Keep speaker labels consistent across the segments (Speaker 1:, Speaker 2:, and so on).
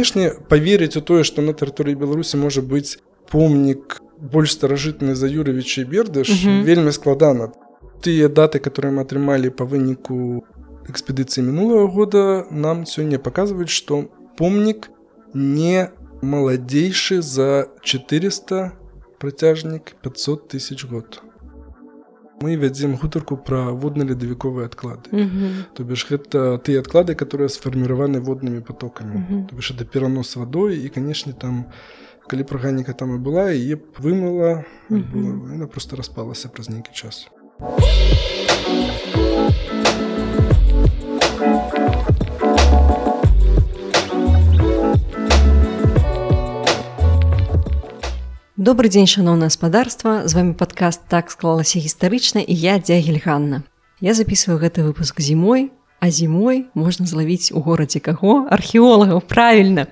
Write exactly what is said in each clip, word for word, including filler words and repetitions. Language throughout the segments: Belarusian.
Speaker 1: Канешне, паверыць у тое, што на тэрыторыі Беларусі можа быць помнік больш старажытны за Юревіча і Бердыш, угу. вельмі складана. Тыя даты, которые мы атрымалі па выніку экспедыцыі мінулого года, нам сёння паказваюць, што помнік не маладзейшы за четыреста, працяжнік пятьсот тысяч год. Мы вядзем гутарку пра водна-ледавіковыя адклады. Mm-hmm. То бишь, гэта тыя адклады, которые сфарміраваны воднымі потокамі. Mm-hmm. То бишь, это перанос вадой, і, канешне, там, калі б арганіка там і была, яе б вымыла, mm-hmm. яна проста распалася праз нейкі час.
Speaker 2: Добрый дзень, шаноўнае гаспадарства. З вами падкаст «Так склалася гістарычна» і я, Дзягель Ганна. Я записываю гэты выпуск зімой, а зімой можна злавіць у горадзе каго? Археолагаў, правільна.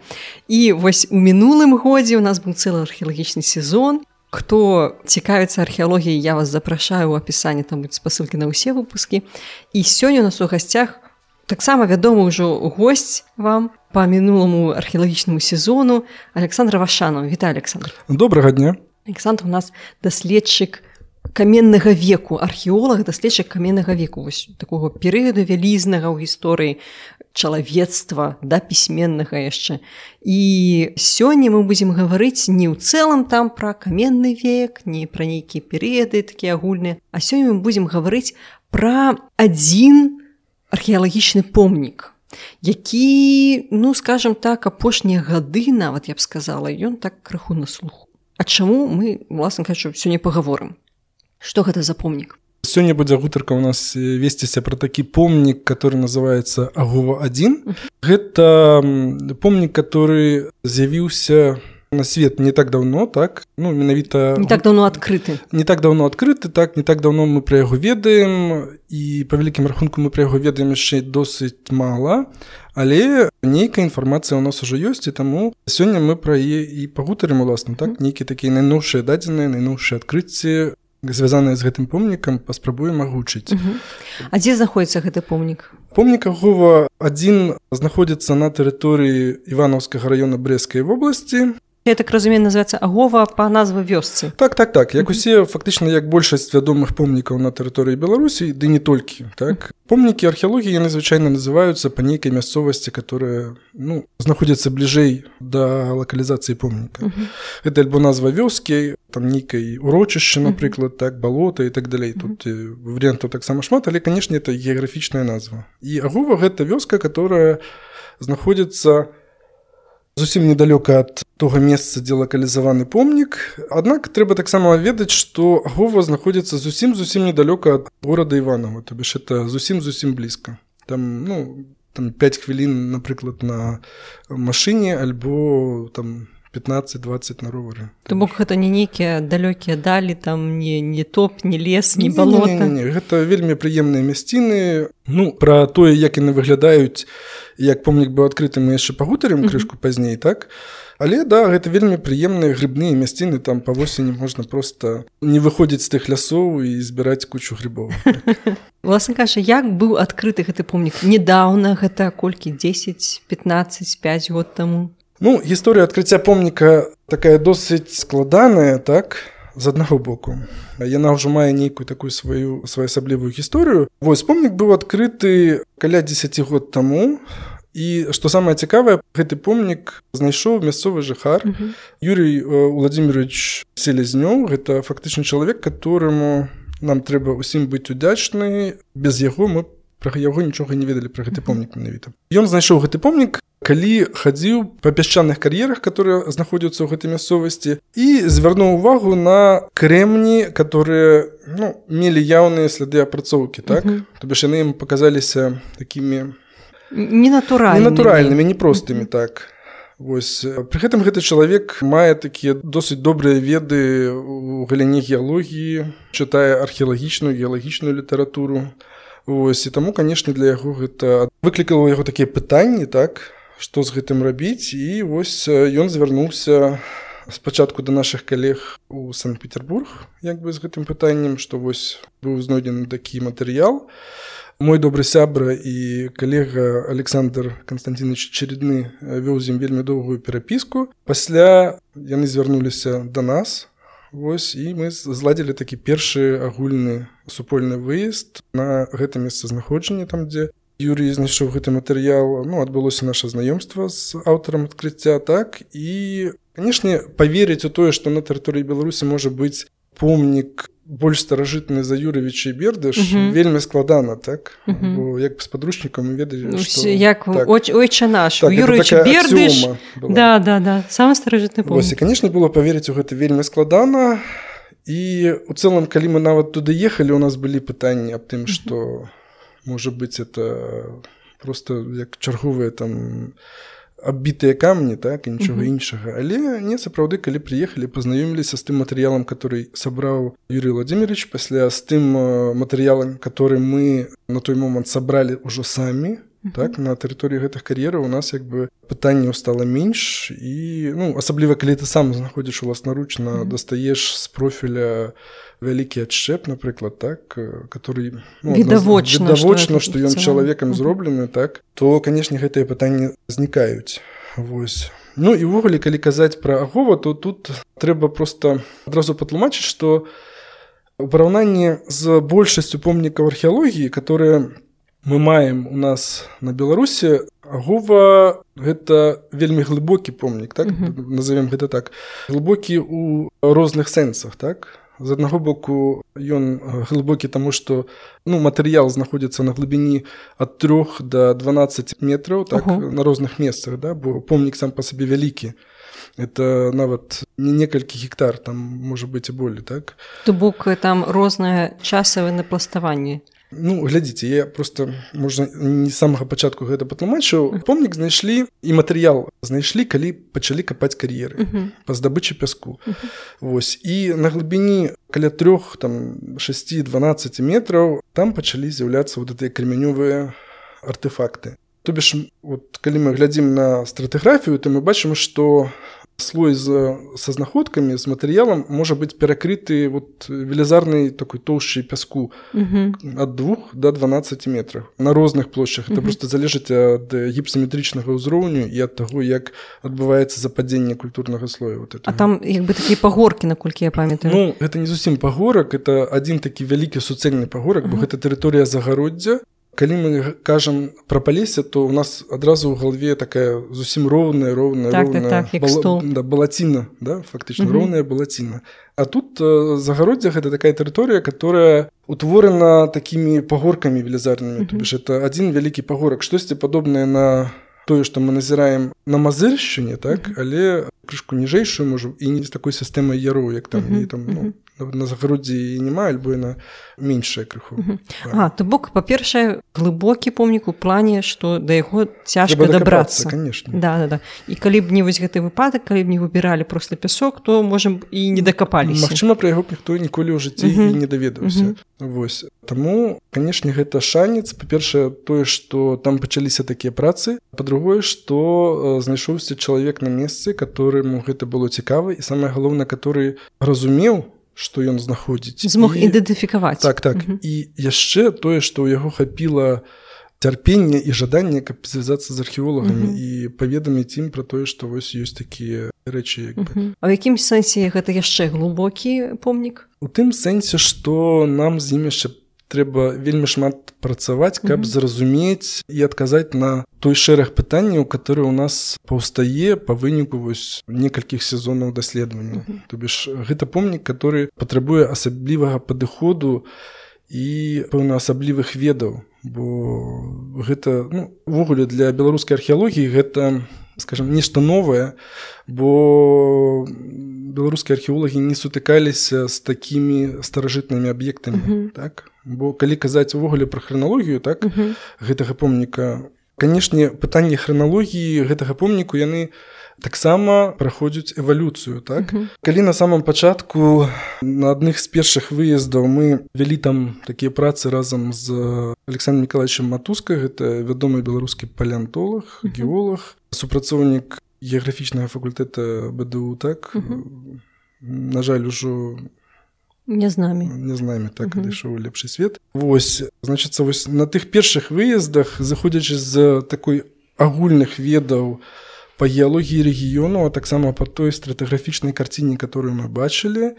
Speaker 2: І вось у мінулым годзе у нас быў цэлы археалагічны сезон. Хто цікавіцца археалогіяй, я вас запрашаю ў апісанні, там будуць спасылкі на ўсе выпускі. І сёння у нас у гасцях таксама вядомы ўжо госць вам по мінуламу археалагічнаму сезону Александр Вашанов. Вітаю, Александр.
Speaker 1: Добрага дня.
Speaker 2: Александр у нас даследчык каменнага веку, археолог, даследчык каменнага веку, вось такого перыяду вялізнага ў гісторыі чалавецтва, да пісьменнага яшчэ. І сёння мы будзем гаварыць не ў цэлым там пра каменны век, не пра нейкія перыяды такія агульныя, а сёння мы будзем гаварыць пра адзін археалагічны помнік, які, ну, скажем так, апошнія гады нават, я б сказала, ён так крыху на слуху. А чаму мы, власна кажучы, сёння пагаворым? Што гэта за помнік?
Speaker 1: Сёння будзе гутарка у нас весціся пра такі помнік, который называецца Агова адзін. Uh-huh. Гэта помнік, который з'явіўся на свет не так давно, так? Ну, менавіта...
Speaker 2: Не так давно адкрыты.
Speaker 1: Не так давно адкрыты, так, не так давно мы пра яго ведаем, і па вялікім рахунку мы пра яго ведаем яшчэ досыць мала, але нейкая інфармацыя ў нас ужо ёсць, і таму сёння мы пра яе і пагутарым, уласна, так? Нейкія такія найноўшыя дадзеныя, найноўшыя адкрыцці, звязаныя з гэтым помнікам, паспрабуем агучыць.
Speaker 2: Uh-huh. А дзе знаходзіцца гэты помнік?
Speaker 1: Помнік Агова адзін знаходзіцца на тэрыторыі Іванаўскага раёна Брэсцкай вобласці.
Speaker 2: Я так разумею, называецца Агова па назве вёсцы.
Speaker 1: Так, так, так. Як усе, фактычна, як большасць вядомых помнікаў на тэрыторыі Беларусі, ды не толькі, так? Помнікі археалогіі, яны звычайна называюцца па нейкай мясцовасці, которая, ну, знаходзіцца бліжэй да лакалізацыі помніка. Uh-huh. Гэта альбо назва вёскі, там нейкай урочышча, напрыклад, так, балота і так далей. Тут uh-huh. варыянтаў таксама шмат, але, канешне, это геаграфічная назва. І Агова – гэта вёска, которая знаходзіцца зусім недалёка ад того месца, дзе лакалізаваны помнік. Аднак трэба таксама ведаць, што Агова знаходзіцца зусім-зусім недалёка ад горада Іванова, то бишь это зусім-зусім блізка. Там, ну, там пяць хвілін, напрыклад, на машыне, альбо там пятнаццаць-дваццаць на ровары.
Speaker 2: То бок гэта не нейкія далёкія далі, там не, не топ, не лес, не балота.
Speaker 1: Не, не, не, не. Гэта вельмі прыемныя мясціны. Ну, пра тое, як яны выглядаюць, як помнік быў адкрыты, мы яшчэ пагутарым крышку mm-hmm. пазней, так? Але, да, гэта вельмі прыемныя грыбныя мясціны, там па восені можна проста не выходзіць з тых лясоў і збіраць кучу грыбоў.
Speaker 2: Власна кажучы, як быў адкрыты гэты помнік? Недаўна, гэта колькі, дзесяць, пятнаццаць, пяць год таму?
Speaker 1: Ну, гісторыя адкрыцця помніка такая досыць складаная, так, з аднаго боку. Яна ўжо мае нейкую такую сваю своеасаблівую гісторыю. Вось, помнік быў адкрыты каля дзесяць год таму, і, што самае цікавае, гэты помнік знайшоў мясцовы жыхар. Uh-huh. Юрій Владимирович Селезнёў, гэта фактычны чалавек, которому нам трэба ўсім быць удзячны. Без яго мы пра яго нічога не ведалі пра гэты помнік менавіта. Ён знайшоў гэты помнік, калі хадзіў па пясчаных кар'ерах, которые знаходзяцца ў гэтай мясцовасці, і звярнуў увагу на крэмні, которые, ну, мелі яўныя сляды апрацоўкі, так? Uh-huh. То бишь яны ім паказаліся такімі
Speaker 2: ненатуральнымі,
Speaker 1: ненатуральнымі, непростымі, uh-huh. так. Вось. Пры гэтым гэты чалавек мае такія досыць добрыя веды ў галіне геалогіі, чытае археалагічную, геалагічную літаратуру. Вось. І таму, канешне, для яго гэта выклікала яго такія пытанні, так, што з гэтым рабіць, і вось ён звярнуўся спачатку да нашых калег у Санкт-Петербург, як бы з гэтым пытаннем, што вось быў знойдзены такі матэрыял. мой добры сябра і калега Александр Константинович Чередны вёў з ім вельмі доўгую перапіску. Пасля яны звярнуліся да нас. Вось, і мы зладзілі такі першы агульны супольны выезд на гэта месцазнаходжанне, там, дзе Юрій знайшоў гэты матэрыял. Ну, адбылося наша знаёмства з аўтарам адкрыцця, так. І, канешне, паверыць у тое, што на тэрыторыі Беларусі можа быць помнік больш старажытны за Юревіча і Бердыш, угу. вельмі складана, так? Угу. Бо як з падручнікам мы ведалі,
Speaker 2: ну,
Speaker 1: што...
Speaker 2: Як
Speaker 1: так.
Speaker 2: ойча наш,
Speaker 1: так,
Speaker 2: у Юревіча Бердыш. Да, да, да, самы старажытны помнік.
Speaker 1: Вось, і, канешне, было паверыць у гэта вельмі складана. І у цэлым, калі мы нават туды ехалі, у нас былі пытанні аб тым, што, можа быць, это проста як чарговыя там аббітыя камні, так, і нічога uh-huh. іншага. Але не, сапраўды, калі прыехалі, пазнаёміліся з тым матэрыялам, который сабраў Юрий Владимирович, пасля з тым матэрыялам, который мы на той момант сабралі ўжо самі, uh-huh. так, на тэрыторыі гэтых кар'ераў у нас як бы пытанняў стала менш, і, ну, асабліва, калі ты сам знаходзіш уласнаручна, uh-huh. дастаеш з профіля вялікі адшчэп, напрыклад, так, который, ну,
Speaker 2: відавочна,
Speaker 1: відавочна, што ён чалавекам зроблены, так, то, канешне, гэтыя пытанні знікаюць. Вось. Ну і ўвогуле, калі казаць пра Агова, то тут трэба проста адразу патлумачыць, што у параўнанні з большасцю помнікаў археалогіі, которые мы маем у нас на Беларусі, Агова гэта вельмі глыбокі помнік, так, uh-huh. назовем гэта так, глыбокі ў розных сэнсах, так. З аднаго боку, ён глыбокі таму, што, ну, матэрыял знаходзіцца на глыбіні ад трох да дванаццаці метраў, так, uh-huh. на розных месцах, да, бо помнік сам па сабе вялікі. Это нават не некалькі гектар, там можа быць і болей, так.
Speaker 2: То бок там рознае часавае напластаванне.
Speaker 1: Ну, глядзіце, я просто, можна, не з самага пачатку гэта патлумачыў. Помнік знайшлі, і матэрыял знайшлі, калі пачалі капаць кар'еры uh-huh. па здабычы пяску. Uh-huh. Вось. І на глыбіні каля трох, там, шасці дванаццаці метраў там пачалі з'яўляцца вот гэтыя кремянёвыя артефакты. То бишь, вот, калі мы глядзім на стратыграфію, то мы бачым, што слой з, са знаходкамі, з матэрыялам можа быць перакрыты вот, велізарнай такой тоўшчай пяску uh-huh. ад двух да дванаццаці метраў на розных плошчах. Uh-huh. Это просто залежыць ад гіпсаметрычнага ўзроўню і ад таго, як адбываецца западзенне культурнага слоя. Вот
Speaker 2: а там як бы такія пагоркі, наколькі я памятаю.
Speaker 1: Ну, гэта не зусім пагорак, это адзін такі вялікі суцэльны пагорак, uh-huh. бо гэта тэрыторыя загароддзя. Калі мы кажам пра Палессе, то у нас адразу ў галаве такая зусім роўная, роўная,
Speaker 2: так,
Speaker 1: роўная
Speaker 2: так, так, бала,
Speaker 1: да, балаціна, да, фактычна, uh-huh. роўная балаціна. А тут э, загароддзе гэта такая тэрыторыя, которая утворана такімі пагоркамі велізарнымі. Uh-huh. То бишь, это адзін вялікі пагорак, штосьці падобнае на тое, што мы назіраем на Мазыршчыне, так, uh-huh. але крышку ніжэйшую, можа, і не з такой сістэмай яроў, як там, uh-huh. і там, ну, на загароддзі і няма, альбо яна меншая крыху.
Speaker 2: Uh-huh. А, то бок, па-першае, глыбокі помнік у плане, што да яго цяжка дабрацца.
Speaker 1: Конечно.
Speaker 2: Да, да, да. І калі б не вось гэты выпадак, калі б не выбіралі проста пясок, то, можам, і не дакапаліся.
Speaker 1: Магчыма, пра яго ніхто ніколі ў жыцці uh-huh. і не даведаўся. Uh-huh. Вось. Таму, канешне, гэта шанец. Па-першае, тое, што там пачаліся такія працы. Па-другое, што знайшоўся чалавек на месцы, которому гэта было цікава, і самае галоўнае, который разумеў, што ён знаходзіць.
Speaker 2: Змог і... ідэнтыфікаваць.
Speaker 1: Так, так. Uh-huh. І яшчэ тое, што ў яго хапіла цярпення і жаданне, каб звязацца з археолагамі uh-huh. і паведаміць ім пра тое, што вось ёсць такія рэчы. Як
Speaker 2: uh-huh. А ў якім сэнсе гэта яшчэ глыбокі помнік?
Speaker 1: У тым сэнсе, што нам з ім яшчэ трэба вельмі шмат працаваць, каб mm-hmm. зразумець і адказаць на той шэраг пытанняў, которые ў нас паўстае па выніку вось некалькіх сезонаў даследавання. Mm-hmm. То бишь, гэта помнік, который патрабуе асаблівага падыходу і пэўна асаблівых ведаў, бо гэта, ну, увогуле для беларускай археалогіі гэта, скажем, нешта новае, бо беларускія археолагі не сутыкаліся з такімі старажытнымі аб'ектамі, uh-huh. так? Бо калі казаць увогуле пра храналогію, так, uh-huh. гэтага помніка, канешне, пытанні храналогіі гэтага помніку, яны таксама праходзяць эвалюцыю, так? Uh-huh. Калі на самом пачатку на адных з першых выездаў мы вялі там такія працы разам з Александром Николаевичем Матускай, гэта вядомы беларускі палеантолог, uh-huh. геолог, супрацоўнік геаграфічнага факультэта бэ дэ у, так? Uh-huh. На жаль, ужо
Speaker 2: Не з намі.
Speaker 1: Не з намі, так, uh-huh. адышоў у лепшы свет. Вось, значыцца, вось на тых першых выездах, заходзячы з такой агульных ведаў па геалогіі рэгіёну, а таксама па той стратыграфічнай карціне, которую мы бачылі,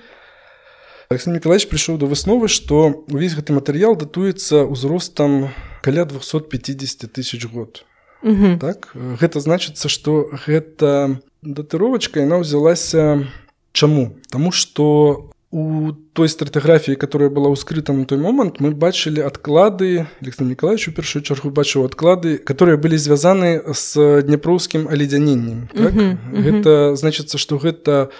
Speaker 1: Александр Николаевич прыйшоў да высновы, што ўвесь гэты матэрыял датуецца ўзростам каля двухсот пятидесяти тысяч год. Uh-huh. Так? Гэта значыцца, што гэта датыровачка, яна ўзялася чаму? Таму што у той стратыграфіі, которая была ўскрыта на той момант, мы бачылі адклады, Александр Николаевич у першую чаргу бачыў адклады, которые былі звязаны з дняпроўскім аледзяненнем. Так? Uh-huh. Uh-huh. Гэта значыцца, што гэта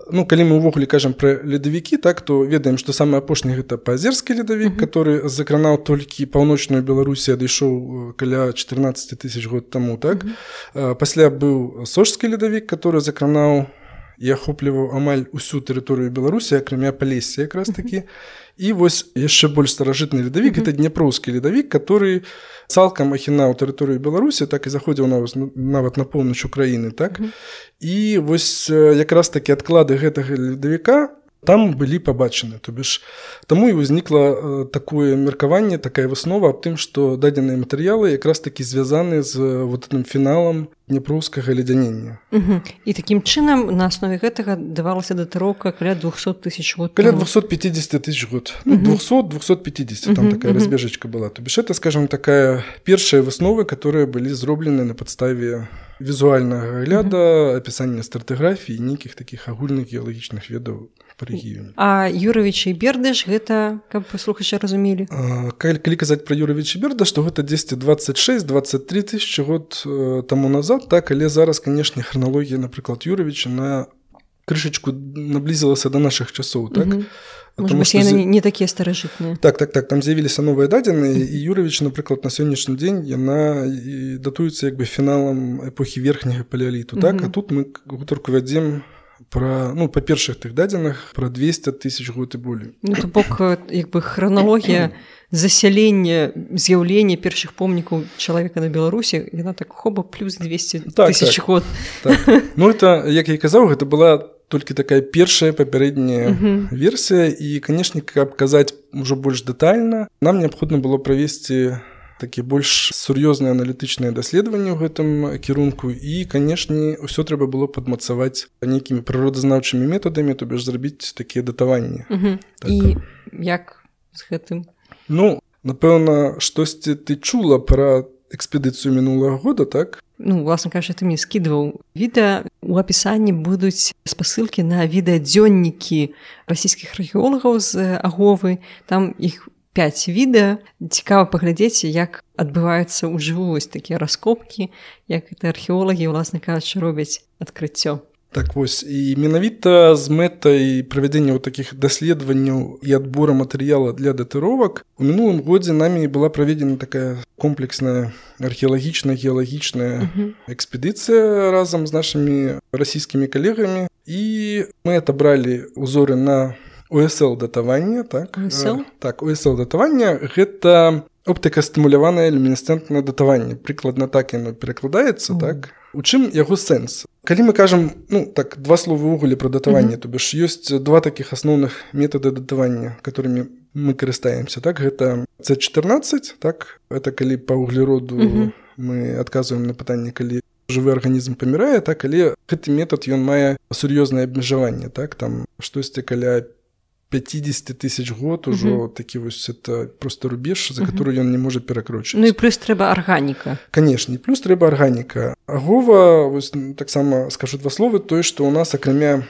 Speaker 1: ну, калі мы ўвогуле кажам пра ледавікі, так, то ведаем, што самы апошні гэта паазерскі ледавік, uh-huh. который закранаў толькі паўночную Беларусі, адышоў каля чатырнаццаць тысяч год таму, так. Uh-huh. Пасля быў сожскі ледавік, который закранаў і ахопліваў амаль усю тэрыторыю Беларусі, акрамя Палесся якраз такі. Uh-huh. І вось яшчэ больш старажытны ледавік, uh-huh. гэта дняпроўскі ледавік, который цалкам ахінаў тэрыторыю Беларусі, так і заходзіў нават на поўнач Украіны, так. Uh-huh. І вось якраз такі адклады гэтага ледавіка там былі пабачаны. То бишь, таму і ўзнікла такое меркаванне, такая выснова аб тым, што дадзеныя матэрыялы якраз такі звязаны з вот этим фіналам дняпроўскага ледзянення.
Speaker 2: Угу. І такім чынам на аснове гэтага давалася датыроўка каля двухсот тысяч год.
Speaker 1: Каля двухсот пятидесяти тысяч год. Угу. двухсот - двухсот пятидесяти, там угу, такая угу. разбежечка была. То бишь, это, скажем, такая першая высновы, которые былі зроблены на падставе візуальнага агляда, угу. апісання стратыграфіі і нейкіх такіх агульных геалагічных ведаў па рэгіёне.
Speaker 2: А Юравіч і Бердыш гэта, каб слухачы разумелі?
Speaker 1: А, калі казаць пра Юравіч і Бердыш, то гэта дзесьці двадцать шесть - двадцать три тысячи год э, таму назад, так, але зараз, канешне, храналогія, напрыклад, Юравіча на крышачку наблізілася да нашых часоў, так?
Speaker 2: Угу. Можа быць, яны не, не такія старажытныя.
Speaker 1: Так, так, так, там з'явіліся новыя дадзеныя, і Юравіч, напрыклад, на сённяшні дзень яна датуецца як бы фіналам эпохі верхняга палеаліту, так? Угу. А тут мы гутарку вядзем пра, ну, па першых тых дадзеных, пра двести тысяч год і болей.
Speaker 2: Ну, то бок, як бы храналогія засялення, з'яўлення першых помнікаў чалавека на Беларусі, яна так хоба плюс двести тысяч так, год.
Speaker 1: Так. Ну, это, як я і казаў, гэта была толькі такая першая папярэдняя uh-huh. версія, і, канешне, каб казаць ужо больш дэтальна, нам неабходна было правесці такі больш сур'ёзныя аналітычныя даследаванні ў гэтым кірунку, і, канешне, ўсё трэба было падмацаваць нейкімі прыродазнаўчымі метадамі, то бишь зрабіць такія датаванні.
Speaker 2: Uh-huh. Так. І як з гэтым?
Speaker 1: Ну, напэўна, штосьці ты чула пра экспедыцыю мінулага года, так?
Speaker 2: Ну, власна кажучы, ты мне скідваў відэа. У апісанні будуць спасылкі на відэадзённікі расійскіх археолагаў з Аговы. Там іх пяць відэа. Цікава паглядзець, як адбываюцца ўжыву вось такія раскопкі, як гэта археолагі, власна кажучы, робяць адкрыццё.
Speaker 1: Так вось, і менавіта з мэтай правядзення ў такіх даследаванняў і адбора матэрыяла для датыровак у мінулым годзе намі была праведзена такая комплексная археалагічная геалагічная uh-huh. экспедыцыя разам з нашымі расійскімі калегамі, і мы атабралі ўзоры на о эс эл датаванне, так?
Speaker 2: о эс эл?
Speaker 1: Так, о эс эл датаванне гэта оптыкастымуляванае люмінесцэнтнае датаванне. Прыкладна так яно перакладаецца, uh-huh. так? У чым яго сэнс? Калі мы кажам, ну, так, два словы ўвогуле пра датаванне, mm-hmm. то бишь ёсць два такіх асноўных метады датавання, которымі мы карыстаемся, так, гэта цэ чатырнаццаць, так, это калі па углероду mm-hmm. мы адказваем на пытанне, калі жывы арганізм памірае, так, але гэты метад, ён мае сур'ёзнае абмежаванне, так, там штосьці каля пятьдесят тысяч год ужо uh-huh. такі вось это просто рубеж, за uh-huh. который ён не можа перакрочыць.
Speaker 2: Ну і плюс трэба арганіка.
Speaker 1: Канешне, плюс трэба арганіка. Агова, вось таксама скажу два словы, тое, што ў нас акрамя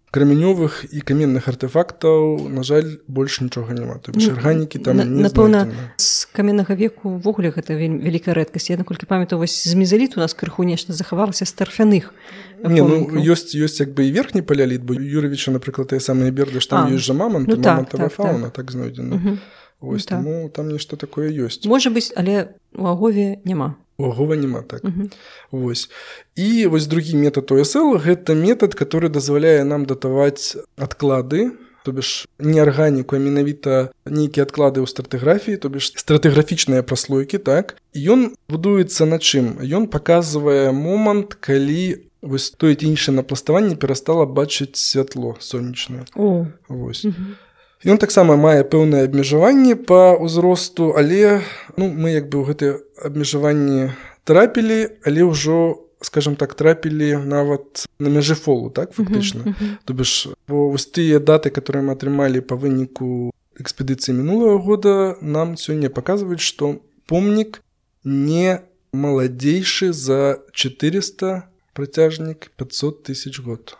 Speaker 1: камянёвых і каменных артефактаў, на жаль, больш нічога няма. То бишь арганікі там на, не
Speaker 2: напэўна, з каменнага веку ўвогуле гэта вялікая рэдкасць. Я наколькі памятаю, вось з мезаліту у нас крыху нешта захавалася з тарфяных.
Speaker 1: Не, ну ёсць ёсць як бы і верхні палеаліт, бо Юравіча, напрыклад, тыя самыя Бердыш, там ёсць жа мамант, ну, мамантавая так, фауна, так, так знойдзена. Угу. Вось, ну, таму так. Там нешта такое ёсць.
Speaker 2: Можа быць, але у Агове няма.
Speaker 1: У Агова няма, так. Угу. Вось. І вось другі метад о эс эл, гэта метад, который дазваляе нам датаваць адклады, то бишь не арганіку, а менавіта нейкія адклады ў стратыграфіі, то бишь стратыграфічныя праслойкі, так. І ён будуецца на чым? Ён паказвае момант, калі вось тое ці іншае напластаванне перастала бачыць святло сонечнае.
Speaker 2: О.
Speaker 1: Вось. Угу. Ён таксама мае пэўнае абмежаванне па ўзросту, але ну, мы як бы ў гэтыя абмежаванні трапілі, але ўжо, скажем так, трапілі нават на мяжы фолу, так, фактычна. Uh-huh, uh-huh. То бишь, вось тыя даты, которые мы атрымалі па выніку экспедыцыі мінулага года, нам сёння паказваюць, што помнік не маладзейшы за четыреста, працяжнік пятьсот тысяч год.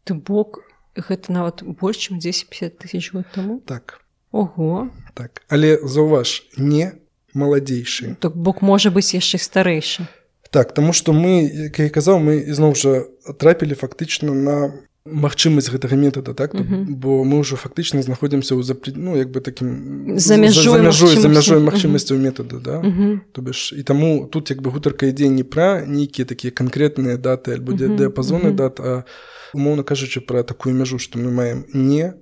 Speaker 2: Ты бок, гэта нават больш, чым дзесяць-пяцьдзесят тысяч год таму?
Speaker 1: Так.
Speaker 2: Ого.
Speaker 1: Так, але заўваж, не маладзейшы.
Speaker 2: Так бок можа быць яшчэ старэйшы.
Speaker 1: Так, таму што мы, як я казаў, мы ізноў жа трапілі фактычна на магчымасць гэтага метада, так? Uh-huh. Бо мы ўжо фактычна знаходзімся ў запрет... ну, як бы такім...
Speaker 2: За мяжой,
Speaker 1: за мяжой, за мяжой
Speaker 2: uh-huh.
Speaker 1: магчымасцяў метада, да?
Speaker 2: Uh-huh.
Speaker 1: То бишь, і таму тут як бы гутарка ідзе не пра нейкія такія канкрэтныя даты альбо uh-huh. дыяпазоны uh-huh. дат, а умоўна кажучы пра такую мяжу, што мы маем не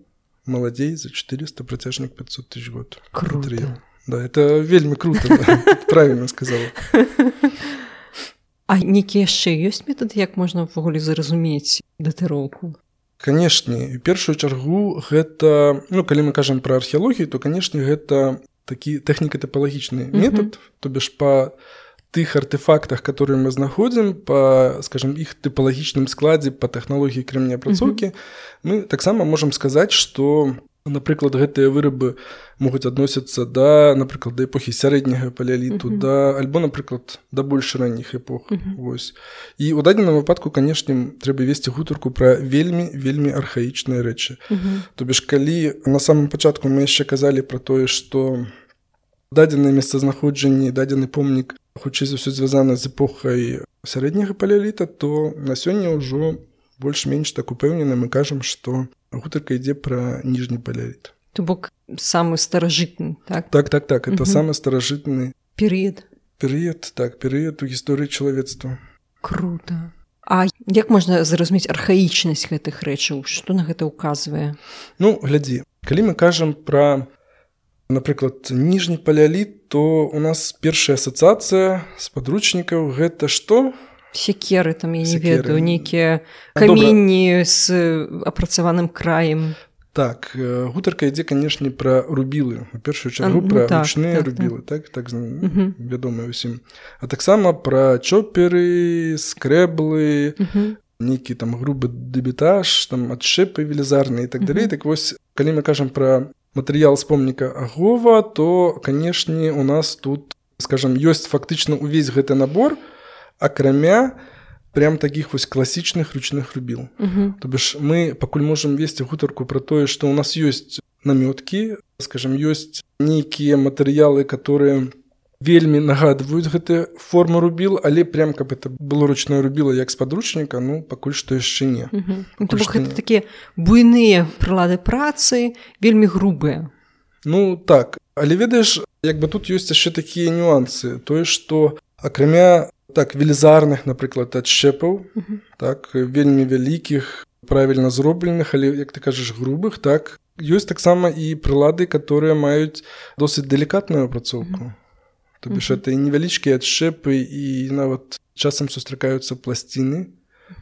Speaker 1: маладзей за четыреста, працяжнік пятьсот тысяч год.
Speaker 2: Круто.
Speaker 1: Материал. Да, это вельмі круто, да. Правильно сказала.
Speaker 2: А нейкія яшчэ ёсць метады, як можна ўвогуле зразумець датыроўку?
Speaker 1: Канешне, у першую чаргу гэта, ну, калі мы кажам пра археалогію, то, канешне, гэта такі тэхніка-тапалагічны метад, uh-huh. то бишь па тых артефактах, которые мы знаходзім, па, скажем, іх тыпалагічным складзе, па тэхналогіі крэменеапрацоўкі, uh-huh. мы таксама можам сказаць, што, напрыклад, гэтыя вырабы могуць адносіцца да, напрыклад, да эпохі сярэдняга палеаліту, uh-huh. да, альбо, напрыклад, да больш ранніх эпох. Uh-huh. Вось. І ў дадзеным выпадку, канешне, трэба весці гутарку пра вельмі, вельмі архаічныя рэчы. Uh-huh. То бишь, калі на самым пачатку мы яшчэ казалі пра тое, што дадзенае месцазнаходжанне, дадзены помнік хутчэй за ўсё звязана з эпохай сярэдняга палеаліта, то на сёння ўжо больш-менш так упэўнена мы кажам, што гутарка ідзе пра ніжні палеаліт.
Speaker 2: То бок самы старажытны, так?
Speaker 1: Так, так, так, это угу. самы старажытны
Speaker 2: перыяд.
Speaker 1: Перыяд, так, перыяд у гісторыі чалавецтва.
Speaker 2: Круто. А як можна зразумець архаічнасць гэтых рэчаў? Што на гэта ўказвае?
Speaker 1: Ну, глядзі, калі мы кажам пра, напрыклад, ніжні палеаліт, то у нас першая асацыяцыя з падручнікаў гэта што?
Speaker 2: Секеры, там, я не Секеры. ведаю, нейкія каменні з апрацаваным краем.
Speaker 1: Так, гутарка ідзе, канешне, пра рубілы. У першую чаргу пра ну, ручныя так, рубілы, так, так, так uh-huh. вядомыя ўсім. А таксама пра чоперы, скрэблы, uh-huh. нейкі там грубы дэбітаж, там адшчэпы велізарныя і так далей. Uh-huh. Так вось, калі мы кажам пра матэрыял з помніка Агова, то, канешне, у нас тут, скажам, ёсць фактычна ўвесь гэты набор, акрамя прям такіх вось класічных ручных рубіл. Uh-huh. То бишь мы пакуль можам весці гутарку пра тое, што ў нас ёсць намёткі, скажам, ёсць нейкія матэрыялы, которые вельмі нагадваюць гэтыя формы рубіл, але прям каб это было ручное рубіла як з падручніка, ну пакуль што яшчэ не.
Speaker 2: Uh-huh. То бок гэта такія буйныя прылады працы, вельмі грубыя.
Speaker 1: Ну так, але ведаеш, як бы тут ёсць яшчэ такія нюансы, тое, што акрамя так, велізарных, напрыклад, адшчэпаў, uh-huh. так, вельмі вялікіх, правільна зробленых, але, як ты кажаш, грубых, так, ёсць таксама і прылады, которые маюць досыць далікатную апрацоўку. Uh-huh. То бишь, uh-huh. это і невялічкія адшчэпы, і нават часам сустракаюцца пласціны,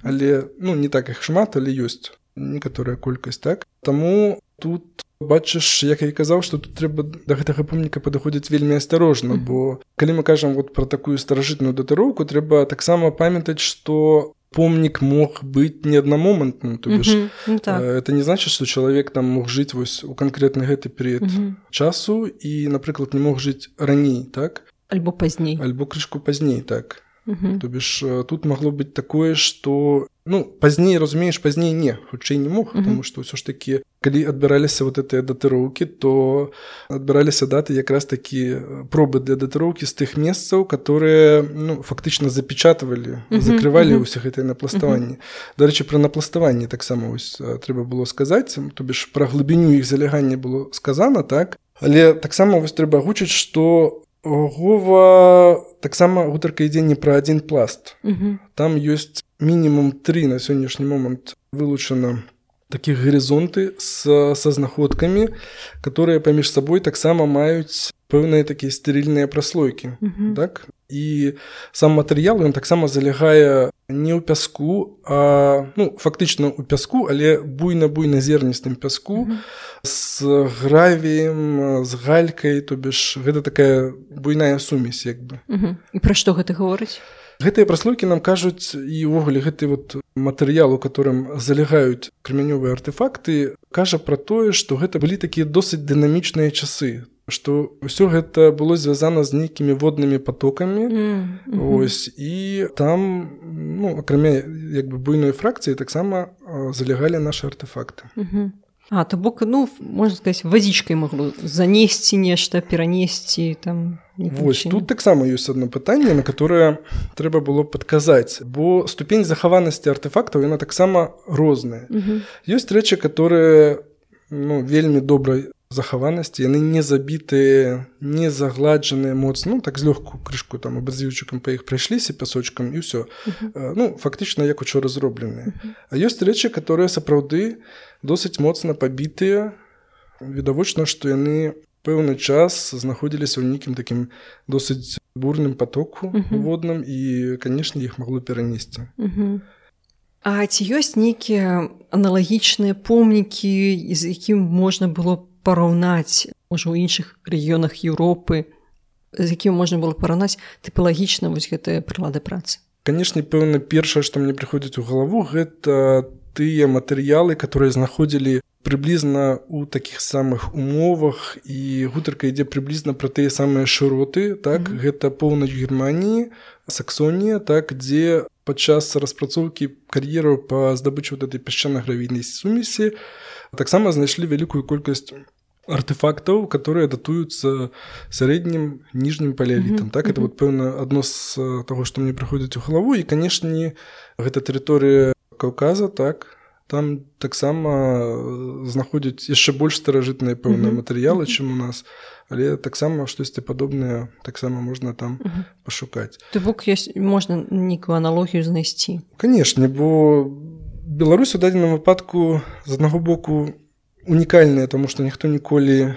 Speaker 1: але, ну, не так іх шмат, але ёсць некаторая колькасць, так. Таму тут бачыш, як я і казаў, што тут трэба да гэтага помніка падыходзіць вельмі асцярожна, mm-hmm. бо калі мы кажам вот пра такую старажытную датыроўку, трэба таксама памятаць, што помнік мог быць не аднамомантным, то бишь, mm-hmm. так. это не значыць, што чалавек там мог жыць вось у канкрэтны гэты перыяд mm-hmm. часу і, напрыклад, не мог жыць раней, так?
Speaker 2: Альбо пазней.
Speaker 1: Альбо крышку пазней, так.
Speaker 2: Mm-hmm.
Speaker 1: То бишь, тут магло быць такое, што ну, пазней, разумееш, пазней не, хутчэй не мог, uh-huh. потому што ўсё ж такі, калі адбіраліся вот гэтыя датыроўкі, то адбіраліся даты якраз такі пробы для датыроўкі з тых месцаў, которые, ну, фактычна запечатывалі, uh-huh. закрывалі uh-huh. ўсе гэтыя напластаванні. Uh-huh. Дарэчы, пра напластаванні таксама вось трэба было сказаць, то бишь пра глыбіню іх залягання было сказана, так? Але таксама вось трэба агучыць, што Гова таксама гутарка ідзе не пра адзін пласт. Uh-huh. Там ёсць мінімум тры на сённяшні момант вылучана такіх гарызонты са, са знаходкамі, которые паміж сабой таксама маюць пэўныя такія стерыльныя праслойкі. Uh-huh. Так? І сам матэрыял ён таксама залягае не ў пяску, а ну, фактычна ў пяску, але буйна-буйна-зерністым пяску mm-hmm. з гравіем, з галькай, то бишь гэта такая буйная сумесь як бы.
Speaker 2: Mm-hmm. І пра што гэта гаворыць?
Speaker 1: Гэтыя праслойкі нам кажуць, і ўвогуле гэты вот матэрыял, у которым залягаюць крамянёвыя артефакты, кажа пра тое, што гэта былі такія досыць дынамічныя часы, што ўсё гэта было звязана з нейкімі воднымі патокамі. Mm-hmm. Ось, і там, ну, акрамя як бы буйной фракцыі, таксама залягалі нашы артефакты.
Speaker 2: Mm-hmm. А, то бок, ну, можна сказаць, вазічкай магло занесці нешта, перанесці там.
Speaker 1: Вось, тут таксама ёсць адно пытанне, на которое трэба было падказаць, бо ступень захаванасці артефактаў, яна таксама розная. Mm-hmm. Ёсць рэчы, которые, ну, вельмі добрай захаванасці, яны не забітыя, не загладжаныя моцна, ну, так злёгку крышку там абразіўчыкам па іх прайшліся пясочкам і ўсё. Uh-huh. Ну, фактычна як учора зробленыя. Uh-huh. А ёсць рэчы, которые сапраўды досыць моцна пабітыя, відавочна, што яны пэўны час знаходзіліся ў нейкім такім досыць бурным патоку uh-huh. водным і, канешне, іх магло перанесці.
Speaker 2: Uh-huh. А ці ёсць нейкія аналагічныя помнікі, з якім можна было параўнаць, можа, ў іншых рэгіёнах Еўропы, з якім можна было параўнаць тыпалагічна вось гэтыя прылады працы?
Speaker 1: Канешне, пэўна, першае, што мне прыходзіць у галаву, гэта тыя матэрыялы, которые знаходзілі прыблізна ў такіх самых умовах, і гутарка ідзе прыблізна пра тыя самыя шыроты, так, mm-hmm. гэта поўнач Германіі, Саксонія, так, дзе падчас распрацоўкі кар'ераў па здабычы вот этой пясчана-гравійнай сумесі таксама знайшлі вялікую колькасць артефактаў, которые датуюцца сярэднім ніжнім палеалітам. Mm-hmm. Так, это вот пэўна адно з таго, што мне прыходзіць у галаву, і, канешне, гэта тэрыторыя Каўказа, так, там таксама знаходзяць яшчэ больш старажытныя пэўныя mm-hmm. матэрыялы, чым у нас, але таксама штосьці падобнае таксама можна там mm-hmm. пашукаць.
Speaker 2: То бок ёсць, можна нейкую аналогію знайсці?
Speaker 1: Канешне, бо Беларусь у дадзеным выпадку з аднаго боку унікальная, таму што ніхто ніколі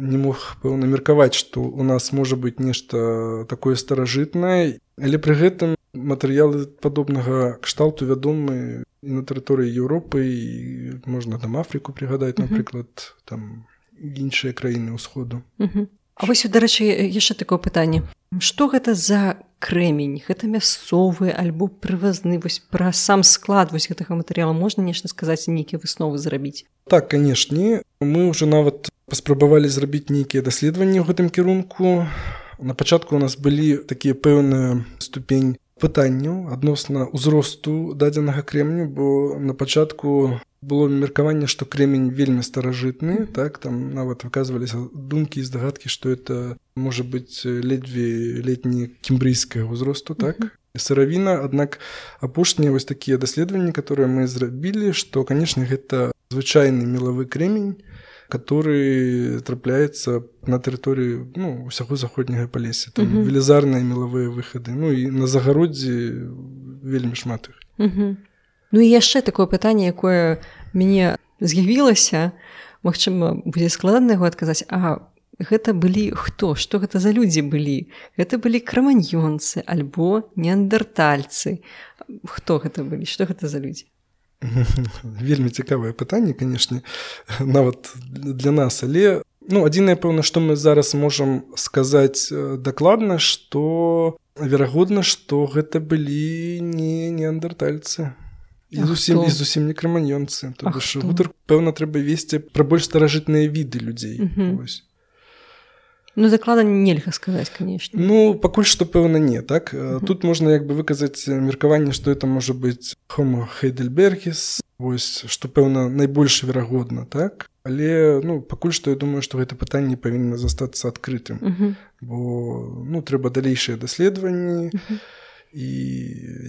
Speaker 1: не мог пэўна меркаваць, што у нас можа быць нешта такое старажытнае, але пры гэтым матэрыялы падобнага кшталту вядомы і на тэрыторыі Еўропы, і можна там Афрыку прыгадаць, напрыклад, uh-huh. там іншыя краіны ўсходу.
Speaker 2: Uh-huh. А вось, дарэчы, яшчэ такое пытанне. Што гэта за крэмень? Гэта мясцовы альбо прывазны? Вось пра сам склад вось гэтага матэрыяла можна нешта сказаць, нейкія высновы зрабіць?
Speaker 1: Так, канешне. Мы ўжо нават паспрабавалі зрабіць нейкія даследаванні ў гэтым кірунку. На пачатку у нас былі такія пэўныя ступень пытанняў адносна ўзросту дадзенага крэмню, бо на пачатку было меркаванне, што крэмень вельмі старажытны, так, там нават выказваліся думкі і здагадкі, што это можа быць ледзьве летні кембрыйскага ўзросту, так, mm-hmm. сыравіна, аднак апошнія вось такія даследаванні, которые мы зрабілі, што, канешне, гэта звычайны мелавы крэмень, который трапляецца на тэрыторыі, ну, усяго заходняга Палесся. Там uh-huh. велізарныя мелавыя выхады. Ну, і на загароддзі вельмі шмат іх.
Speaker 2: Uh-huh. Ну, і яшчэ такое пытанне, якое мяне з'явілася, магчыма, будзе складана яго адказаць, а гэта былі хто? Што гэта за людзі былі? Гэта былі краманьёнцы альбо неандертальцы. Хто гэта былі? Што гэта за людзі?
Speaker 1: Вельмі цікавае пытанне, канешне, нават для нас, але ну, адзінае, пэўна, што мы зараз можам сказаць дакладна, што верагодна, што гэта былі не неандертальцы і зусім, і зусім не краманьёнцы. То бишь, гутар, пэўна, трэба весці пра больш старажытныя віды людзей.
Speaker 2: Uh-huh. Ну, дакладна нельга сказаць, канешне.
Speaker 1: Ну, пакуль што, пэўна, не, так? Uh-huh. Тут можна як бы выказаць меркаванне, што это можа быць Homo heidelbergis, вось, што, пэўна, найбольш верагодна, так? Але, ну, пакуль што я думаю, што гэта пытанне павінна застацца адкрытым, uh-huh. бо, ну, трэба далейшыя даследаванні, uh-huh. і,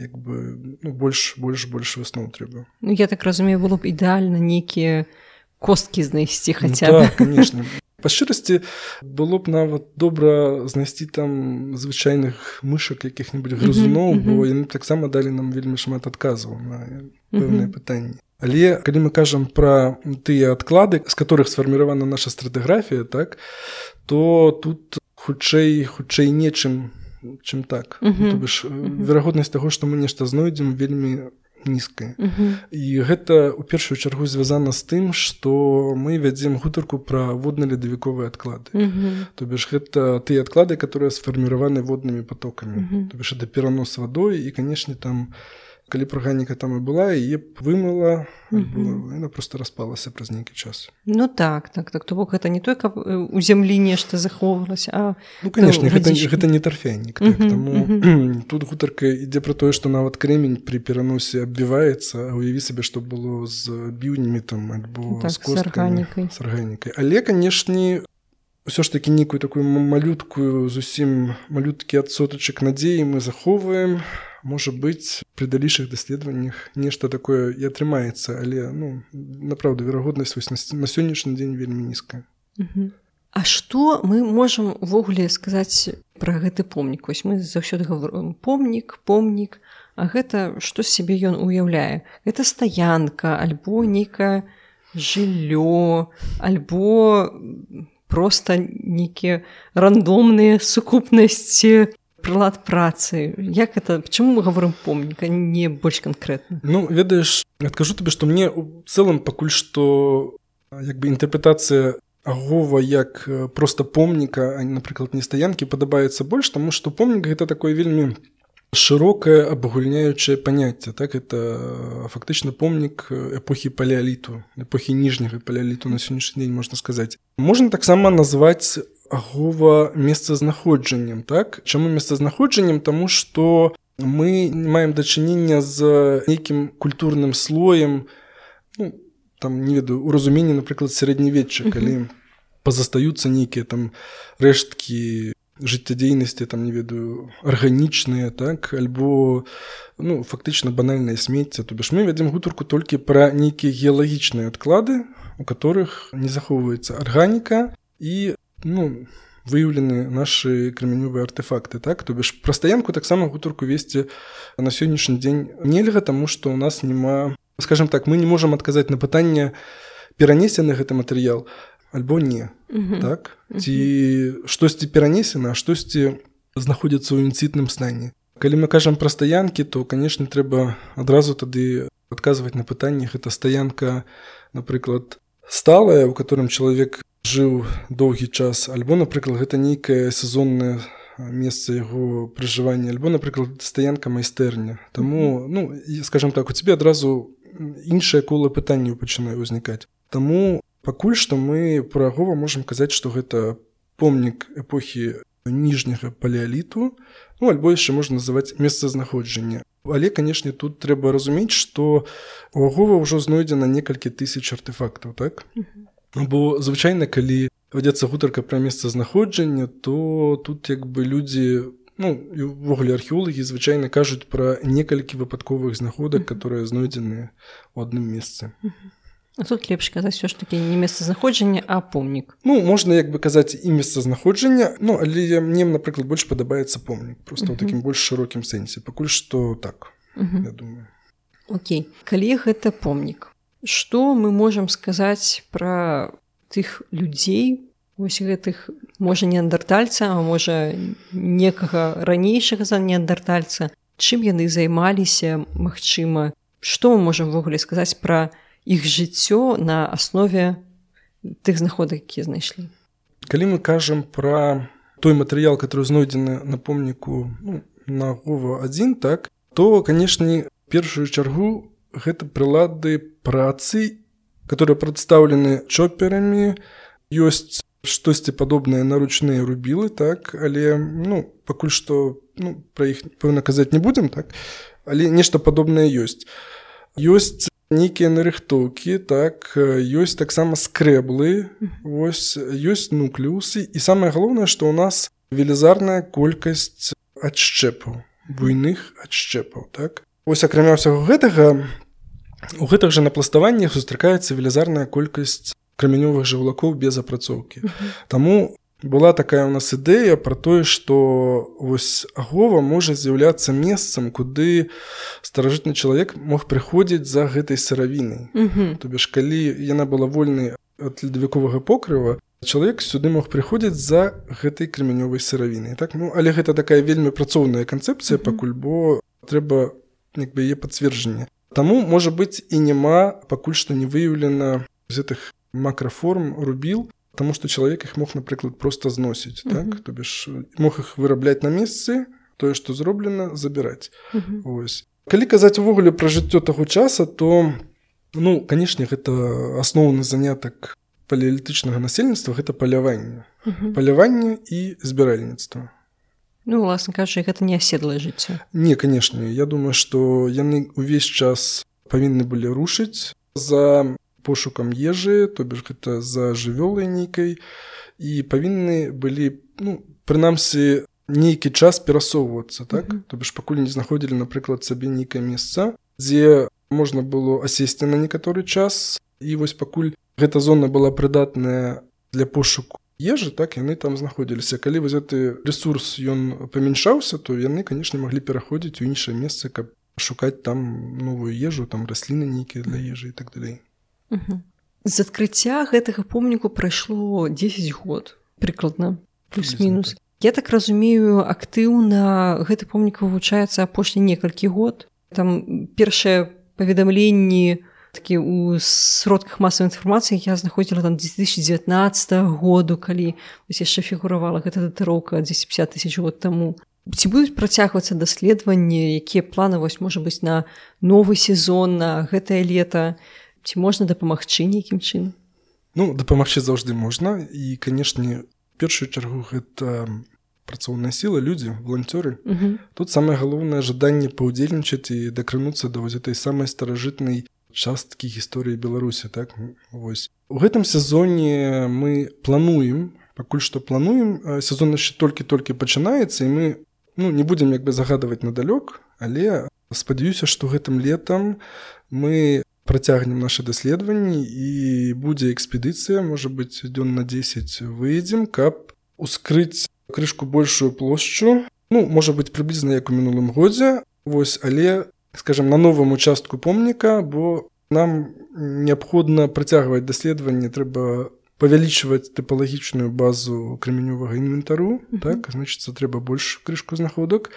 Speaker 1: як бы, ну, больш, больш, больш высноў трэба.
Speaker 2: Ну, я так разумею, было б ідэальна нейкія косткі знайсці хаця
Speaker 1: б. Ну, так, канешне. Па шчырасці, было б нават добра знайсці там звычайных мышак, якіх-небудзь грызуноў, uh-huh, uh-huh. бо яны таксама далі нам вельмі шмат адказаў на пэўныя uh-huh. пытанні. Але калі мы кажам пра тыя адклады, з которых сфарміравана наша стратыграфія, так, то тут хутчэй, хутчэй нечым чым так.
Speaker 2: Uh-huh.
Speaker 1: То бишь,
Speaker 2: uh-huh.
Speaker 1: верагоднасць таго, што мы нешта знойдзем, вельмі нізкая.
Speaker 2: Uh-huh.
Speaker 1: І гэта ў першую чаргу звязана з тым, што мы вядзем гутарку пра водна-ледавіковыя адклады.
Speaker 2: Uh-huh.
Speaker 1: То бишь, гэта тыя адклады, которые сфарміраваны воднымі потокамі. Uh-huh. То бишь, это перанос вадой, і, канешне, там, калі б арганіка там і была, яе б вымыла, uh-huh. яна просто распалася праз нейкі час.
Speaker 2: Ну так, так, так. То бок гэта не той, каб у зямлі нешта захоўвалася, а...
Speaker 1: Ну, канешне, гэта, гэта не тарфянік. Так. Uh-huh. Таму uh-huh. тут гутарка ідзе пра тое, што нават кремень пры пераносе аббіваецца, а уяві сабе, што было з біўнямі там, альбо
Speaker 2: так,
Speaker 1: з косткамі.
Speaker 2: З арганікай.
Speaker 1: З арганікай. Але, канешне, ўсё ж такі нейкую такую малюткую, зусім малюткі адсотачак надзеі мы захоўваем. Можа быць, пры далейшых даследаваннях нешта такое і атрымаецца, але, ну, направду, верагоднасць вось на, на сённяшні дзень вельмі нізкая.
Speaker 2: Uh-huh. А што мы можам увогуле сказаць пра гэты помнік? Вось мы заўсёды говорим помнік, помнік, а гэта што з сябе ён уяўляе? Гэта стаянка, альбо нейкае жыллё, альбо проста нейкія рандомныя сукупнасці прылад працы. Як это, чаму мы говорим помнік, а не больш канкрэтна?
Speaker 1: Ну, ведаеш, адкажу табе, што мне ў цэлым пакуль што як бы інтэрпрэтацыя агова як проста помніка, а, напрыклад, не стаянкі, падабаецца больш, таму што помнік гэта такое вельмі шырокае абагульняючае паняцце. Так, это фактычна помнік эпохі палеаліту, эпохі ніжняга палеаліту на сённяшні дзень, можна сказаць. Можна таксама назваць агова месцазнаходжаннем, так? Чаму месцазнаходжаннем? Таму што мы маем дачынення з нейкім культурным слоем, ну, там, не ведаю, у разуменні, напрыклад, сярэднявечча, калі пазастаюцца нейкія там рэшткі жыццядзейнасці, там, не ведаю, арганічныя, так, альбо, ну, фактычна банальнае смецце. То бишь мы вядзем гутарку толькі пра нейкія геалагічныя адклады, у которых не захоўваецца арганіка і ну, выяўлены нашы крамянёвыя артефакты, так? То бишь пра стаянку таксама гутарку весці на сённяшні дзень нельга, таму што ў нас няма, скажем так, мы не можам адказаць на пытанне, перанесены гэты матэрыял альбо не, uh-huh. так? Uh-huh. Ці штосьці перанесена, а штосьці знаходзіцца ў інцытным стане. Калі мы кажам пра стаянкі, то, канешне, трэба адразу тады адказваць на пытанне, гэта стаянка, напрыклад, сталая, у которым чалавек жыў доўгі час, альбо, напрыклад, гэта нейкае сезоннае месца яго пражывання, альбо, напрыклад, стаянка майстэрня. Таму, ну, скажем так, у цябе адразу іншае кола пытанняў пачынае ўзнікаць. Таму пакуль што мы пра агова можам казаць, што гэта помнік эпохі ніжняга палеаліту, ну, альбо яшчэ можна называць месцазнаходжання. Але, канешне, тут трэба разумець, што у агова ўжо знойдзена некалькі тысяч артефактаў, так? Бо звычайна, калі вядзецца гутарка пра месцазнаходжанне, то тут як бы людзі, ну, і ўвогуле археолагі звычайна кажуць пра некалькі выпадковых знаходак, которые знойдзены ў адным месцы.
Speaker 2: А тут лепш казаць ўсё ж такі не месцазнаходжанне, а помнік.
Speaker 1: Ну, можна як бы казаць і месцазнаходжанне, ну, але мне, напрыклад, больш падабаецца помнік, проста ў такім больш шырокім сэнсе. Пакуль што так, я думаю.
Speaker 2: Окей. Калі гэта помнік, што мы можам сказаць пра тых людзей, вось гэтых, можа, неандертальца, а можа, некага ранейшага за неандертальца, чым яны займаліся, магчыма, што мы можам ввогуле сказаць пра іх жыццё на аснове тых знаходак, якія знайшлі?
Speaker 1: Калі мы кажам пра той матэрыял, который знойдзены на помніку, ну, на агова адзін, так, то, канешне, першую чаргу гэта прылады працы, которые прадстаўлены чоперамі, ёсць штосьці падобнае на ручныя рубілы, так, але, ну, пакуль што, ну, пра іх, пэўна, казаць не будзем, так, але нешта падобнае ёсць. Ёсць нейкія нарыхтоўкі, так, ёсць таксама скрэблы, вось, ёсць нуклеусы, і самае галоўнае, што ў нас велізарная колькасць адшчэпаў, буйных адшчэпаў, так. Вось, акрамя ўсяго гэтага, у гэтых жа напластаваннях сустракаецца велізарная колькасць крамянёвых жаўлакоў без апрацоўкі. Uh-huh. Таму была такая ў нас ідэя пра тое, што вось агова можа з'яўляцца месцам, куды старажытны чалавек мог прыходзіць за гэтай сыравінай. Uh-huh. То бишь, калі яна была вольнай ад ледавіковага покрыва, чалавек сюды мог прыходзіць за гэтай крамянёвай сыравінай. Так? Ну, але гэта такая вельмі працоўная канцэпцыя, mm-hmm. пакуль, бо трэба як бы, яе пацверджанне. Таму, можа быць, і няма пакуль што не выяўлена з гэтых макраформ рубіл, таму што чалавек іх мог, напрыклад, проста зносіць. Mm-hmm. Так? То бишь, мог іх вырабляць на месцы, тое, што зроблена, забіраць. Mm-hmm. Вось. Калі казаць увогуле пра жыццё таго часа, то, ну, канешне, гэта асноўны занятак палеалітычнага насельніцтва, гэта паляванне. Uh-huh. Паляванне і збіральніцтва.
Speaker 2: Ну, уласна кажучы, гэта не аседлае жыццё.
Speaker 1: Не, канешне. Я думаю, што яны ўвесь час павінны былі рушыць за пошукам ежы, то бишь гэта за жывёлай нейкай, і павінны былі, ну, прынамсі, нейкі час перасоўвацца, так? Uh-huh. То бишь пакуль не знаходзілі, напрыклад, сабе нейкае месца, дзе можна было асесці на некаторы час, і вось пакуль гэта зона была прыдатная для пошуку ежы, так, яны там знаходзіліся. Калі вось гэты рэсурс, ён памяншаўся, то яны, канешне, маглі пераходзіць у іншае месца, каб шукаць там новую ежу, там расліны нейкія для ежы і так далей.
Speaker 2: Угу. З адкрыцця гэтага помніку прайшло дзесяць год, прыкладна, плюс-мінус. Так. Я так разумею, актыўна гэты помнік вывучаецца апошні некалькі год. Там першыя паведамленні такі у сродках масавай інфармацыі я знаходзіла там две тысячи девятнадцатого году, калі вось яшчэ фігуравала гэта датыроўка дзесяць пятьдесят тысяч год таму. Ці будуць працягвацца даследаванні, якія планы вось можа быць на новы сезон, на гэтае лета? Ці можна дапамагчы нейкім чынам?
Speaker 1: Ну, дапамагчы заўжды можна, і, канешне, в першую чаргу гэта працоўная сіла, людзі, валанцёры. Uh-huh. Тут самае галоўнае жаданне паўдзельнічаць і дакрануцца да вось этой самай старажытнай часткі гісторыі Беларусі, так? Вось. У гэтым сезоне мы плануем, пакуль што плануем, сезон яшчэ толькі-толькі пачынаецца, і мы, ну, не будзем як бы загадваць надалёк, але спадзяюся, што гэтым летам мы працягнем нашы даследаванні і будзе экспедыцыя, можа быць, дзён на дзесяць выедзем, каб ускрыць крышку большую плошчу, ну, можа быць, прыблізна як у мінулым годзе, вось, але скажем, на новым участку помніка, бо нам неабходна працягваць даследаванне, трэба павялічваць тыпалагічную базу крамянёвага інвентару, mm-hmm. так, значыцца, трэба больш крышку знаходак,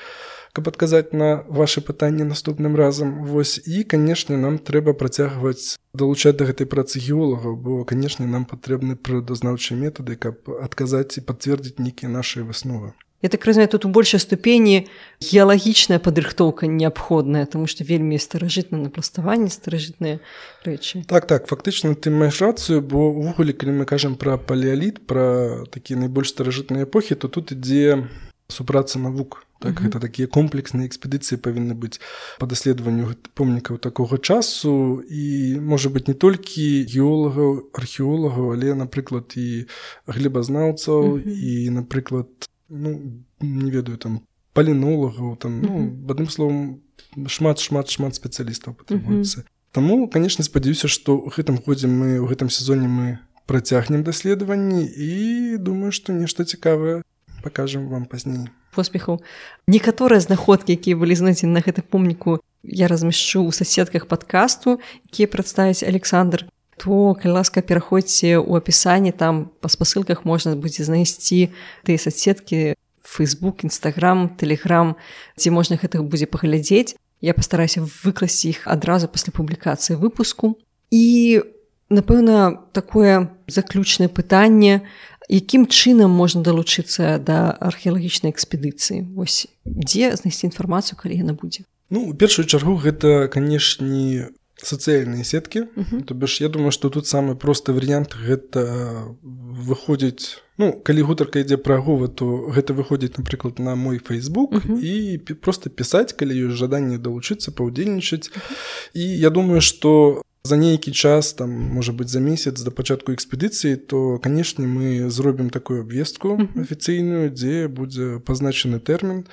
Speaker 1: каб адказаць на вашы пытанні наступным разам. Вось, і, канешне, нам трэба працягваць далучаць да гэтай працы геолагаў, бо, канешне, нам патрэбны прыродазнаўчыя метады, каб адказаць і пацвердзіць нейкія нашы высновы.
Speaker 2: Я так разумею, тут у большай ступені геалагічная падрыхтоўка неабходная, тому што вельмі старажытнае напластаванне, старажытныя рэчы.
Speaker 1: Так, так, фактычна ты маеш рацыю, бо ўвогуле, калі мы кажам пра палеаліт, пра такія найбольш старажытныя эпохі, то тут ідзе супраца навук. Так, uh-huh. Гэта такія комплексныя экспедыцыі павінны быць па даследаванню помнікаў такога часу, і, можа быць, не толькі геолагаў, археолагаў, але, напрыклад, і глебазнаўцаў, uh-huh. і, напрыклад, ну, не ведаю, там, палінолагаў, там, ну, mm-hmm. адным словам, шмат-шмат-шмат спецыялістаў патрабуецца. Mm-hmm. Таму, канешне, спадзяюся, што ў гэтым годзе мы, ў гэтым сезоне мы працягнем даследаванні і думаю, што нешта цікавае пакажам вам пазней.
Speaker 2: Поспехаў. Некаторыя знаходкі, якія былі знойдзены на гэтым помніку, я размяшчу ў соцсетках падкасту, якія прадставіць Александр. То, калі ласка, пераходзьце ў апісанні, там па спасылках можна будзе знайсці тыя соцсеткі, Facebook, Instagram, Telegram, дзе можна гэтых будзе паглядзець. Я пастараюся выкласці іх адразу пасля публікацыі выпуску. І, напэўна, такое заключнае пытанне, якім чынам можна далучыцца да археалагічнай экспедыцыі? Вось, дзе знайсці інфармацыю, калі яна будзе?
Speaker 1: Ну, у першую чаргу, гэта, канешне, сацыяльныя сеткі. Uh-huh. То бишь, я думаю, што тут самы просты варыянт гэта выходзіць, ну, калі гутарка ідзе пра Агова, то гэта выходзіць, напрыклад, на мой Facebook uh-huh. і проста пісаць, калі ёсць жаданне далучыцца, паўдзельнічаць. Uh-huh. І я думаю, што за нейкі час, там, можа быць, за месяц да пачатку экспедыцыі, то, канешне, мы зробім такую абвестку uh-huh. афіцыйную, дзе будзе пазначаны тэрмін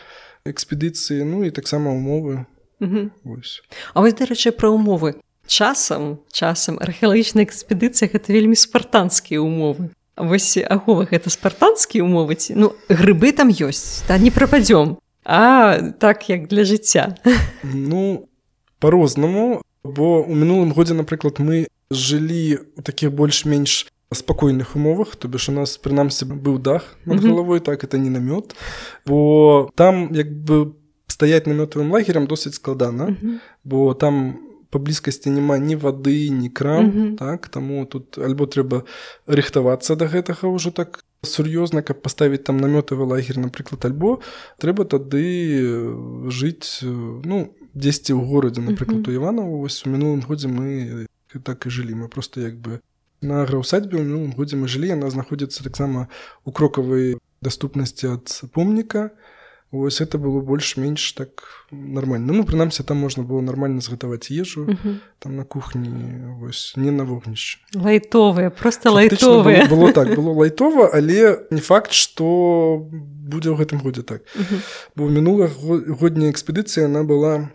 Speaker 1: экспедыцыі, ну і таксама умовы.
Speaker 2: Угу. Вось. А вось, дарэчы, пра умовы. Часам, часам археалагічная экспедыцыя гэта вельмі спартанскія умовы. А вось Агова гэта спартанскія умовы ці? Ну, грыбы там ёсць, та не прападзём. А так, як для жыцця.
Speaker 1: Ну, па-рознаму, бо ў мінулым годзе, напрыклад, мы жылі ў такіх больш-менш спакойных умовах, то бишь у нас прынамсі быў дах над галавой, так это не намёт, бо там як бы стаяць намётавым лагерем досыць складана, бо там па блізкасці няма ні вады, ні крам, так, таму тут альбо трэба рыхтавацца да гэтага ўжо так сур'ёзна, каб паставіць там намётавы лагер, напрыклад, альбо трэба тады жыць, ну, дзесьці ў горадзе, напрыклад, у Іваново. Вось у мінулым годзе мы так і жылі, мы просто як бы на аграўсадьбе ў мінулым годзе мы жылі, яна знаходзіцца таксама ў крокавай даступнасці ад помніка. Вось это было больш-менш так нармальна. Ну, прынамсі, там можна было нармальна згатаваць ежу, uh-huh. там на кухні, вось, не на вогнішчы.
Speaker 2: Лайтовыя, проста лайтовыя.
Speaker 1: Было, было так, было лайтова, але не факт, што будзе ў гэтым годзе так. Uh-huh. Бо мінулагодняя экспедыцыя, яна была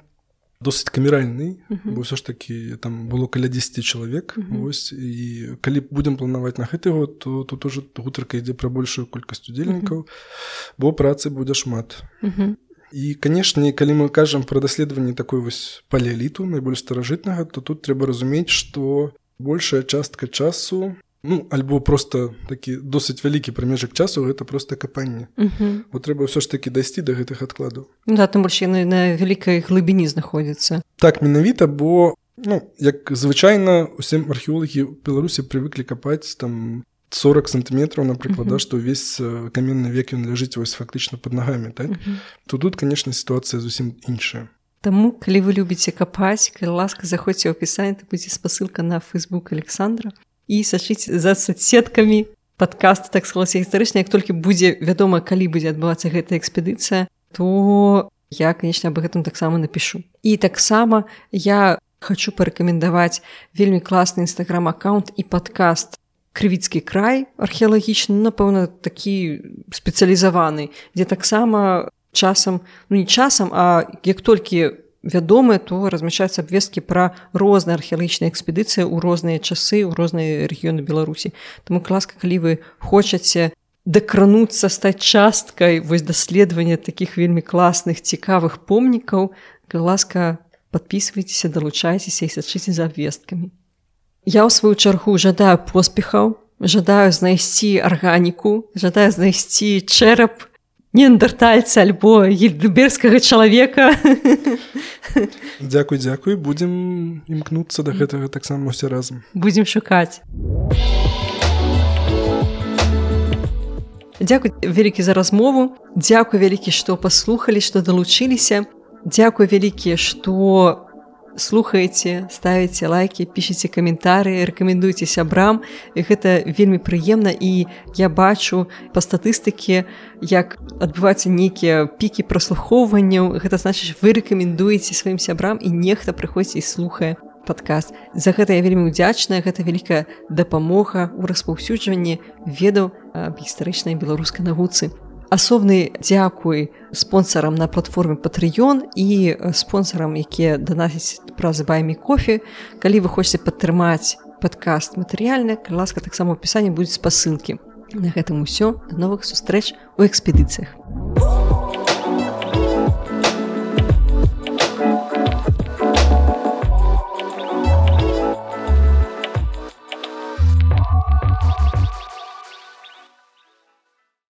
Speaker 1: досыць камеральнай, uh-huh. бо ўсё ж такі там было каля дзесяці чалавек, uh-huh. вось, і калі будзем планаваць на гэты год, то тут ужо гутарка ідзе пра большую колькасць удзельнікаў, uh-huh. бо працы будзе шмат. Uh-huh. І, канешне, калі мы кажам пра даследаванне такой вось палеаліту, найбольш старажытнага, то тут трэба разумець, што большая частка часу, ну, альбо просто такі досыць вялікі прамежак часу, гэта проста капанне. Uh-huh. Бо трэба ўсё ж такі дайсці да гэтых адкладаў.
Speaker 2: Да, тым больш яны на вялікай глыбіні знаходзяцца.
Speaker 1: Так, менавіта, бо, ну, як звычайна, усе археолагі ў Беларусі прывыклі капаць там сорок сантыметраў, напрыклад, uh-huh. да, што ўвесь каменны век ён ляжыць вось фактычна пад нагамі, так? Uh-huh. То тут, канешне, сітуацыя зусім іншая.
Speaker 2: Таму, калі вы любіце капаць, калі ласка, заходзьце ў апісанні, то будзе спасылка на Facebook Александра. І сачыць за соцсеткамі падкаста, так склалася гістарычна. Як толькі будзе вядома, калі будзе адбывацца гэтая экспедыцыя, то я, канечне, аб гэтым таксама напішу. І таксама я хачу парэкамендаваць вельмі класны інстаграм-аккаунт і падкаст «Крывіцкі край» археалагічны, напэўна, такі спецыялізаваны, дзе таксама часам, ну не часам, а як толькі вядомыя, то размяшчаюцца абвесткі пра розныя археалагічныя экспедыцыі ў розныя часы, ў розныя рэгіёны Беларусі. Таму класка, калі вы хочаце дакрануцца, стаць часткай вось даследавання такіх вельмі класных, цікавых помнікаў, ласка, падпісвайцеся, далучайцеся і сачыце за абвесткамі. Я ў сваю чаргу жадаю поспехаў, жадаю знайсці арганіку, жадаю знайсці чэрап неандертальца альбо гільдбергскага чалавека.
Speaker 1: Дзякуй, дзякуй. Будзем імкнуцца да гэтага таксама ўсе разам.
Speaker 2: Будзем шукаць. Дзякуй вялікі за размову. Дзякуй вялікі, што паслухалі, што далучыліся. Дзякуй вялікі, што слухаеце, ставіце лайкі, пішыце каментарыі, рэкамендуйце сябрам. Гэта вельмі прыемна, і я бачу па статыстыке, як адбываюцца нейкія пікі праслухоўванняў. Гэта значыць, вы рэкамендуеце сваім сябрам, і нехта прыходзіць і слухае падкаст. За гэта я вельмі ўдзячная, гэта вялікая дапамога ў распаўсюджванні ведаў аб гістарычнай беларускай навуцы. Асобны дзякуй спонсарам на платформе Patreon і спонсарам, якія данасяць праз Buy Me Coffee. Калі вы хочаце падтрымаць падкаст матэрыяльна, калі ласка, таксама ў апісанні будуць спасылкі. На гэтым усё. Да новых сустрэч у экспедыцыях.